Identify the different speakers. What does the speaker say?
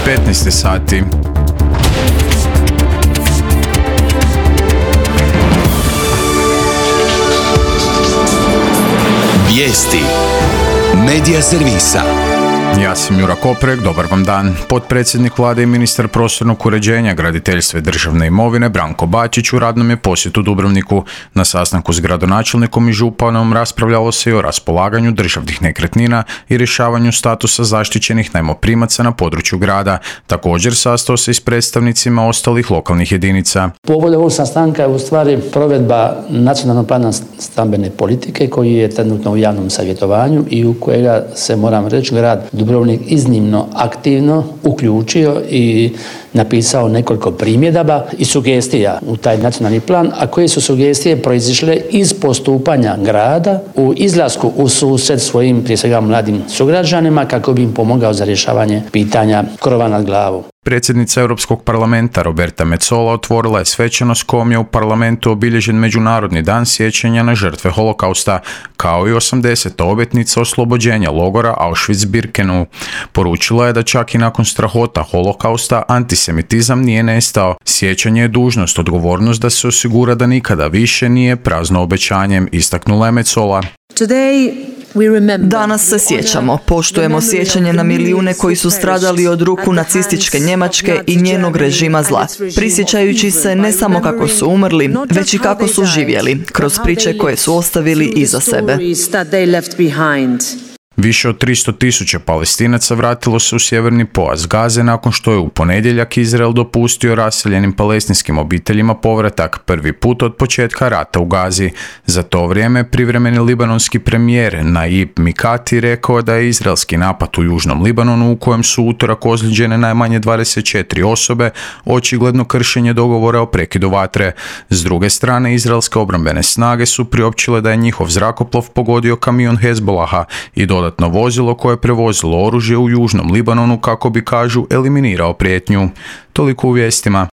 Speaker 1: 15 sati.
Speaker 2: Vijesti Medija servisa.
Speaker 1: Ja sam Jura Koprek, dobar vam dan. Potpredsjednik vlade i ministar prostornog uređenja, graditeljstva i državne imovine Branko Bačić u radnom je posjetu Dubrovniku. Na sastanku s gradonačelnikom i županom raspravljalo se i o raspolaganju državnih nekretnina i rješavanju statusa zaštićenih najmoprimaca na području grada. Također sastao se i s predstavnicima ostalih lokalnih jedinica.
Speaker 3: Povod ovog sastanka je u stvari provedba nacionalnog plana stambene politike koji je trenutno u javnom savjetovanju i u kojega se, moram reći, grad Dubrovnik iznimno aktivno uključio i napisao nekoliko primjedaba i sugestija u taj nacionalni plan, a koje su sugestije proizišle iz postupanja grada u izlasku u susret svojim, prije svega, mladim sugrađanima kako bi im pomogao za rješavanje pitanja krova nad glavom.
Speaker 1: Predsjednica Europskog parlamenta Roberta Metsola otvorila je svečanost kojom je u parlamentu obilježen Međunarodni dan sjećanja na žrtve holokausta, kao i 80. obljetnica oslobođenja logora Auschwitz-Birkenau. Poručila je da čak i nakon strahota holokausta antisemitizam nije nestao. Sjećanje je dužnost, odgovornost da se osigura da nikada više nije prazno obećanjem, istaknula je Metsola.
Speaker 4: Danas se sjećamo, poštujemo sjećanje na milijune koji su stradali od ruku nacističke Njemačke i njenog režima zla, prisjećajući se ne samo kako su umrli, već i kako su živjeli, kroz priče koje su ostavili iza sebe.
Speaker 1: Više od 300.000 Palestinaca vratilo se u sjeverni pojas Gaze nakon što je u ponedjeljak Izrael dopustio raseljenim palestinskim obiteljima povratak, prvi put od početka rata u Gazi. Za to vrijeme privremeni libanonski premijer Naib Mikati rekao da je izraelski napad u južnom Libanonu, u kojem su utorak ozlijeđene najmanje 24 osobe, očigledno kršenje dogovora o prekidu vatre. S druge strane, izraelske obrambene snage su priopćile da je njihov zrakoplov pogodio kamion Hezbolaha i dodatno vozilo koje je prevozilo oružje u južnom Libanonu kako bi, kažu, eliminirao prijetnju. Toliko u vijestima.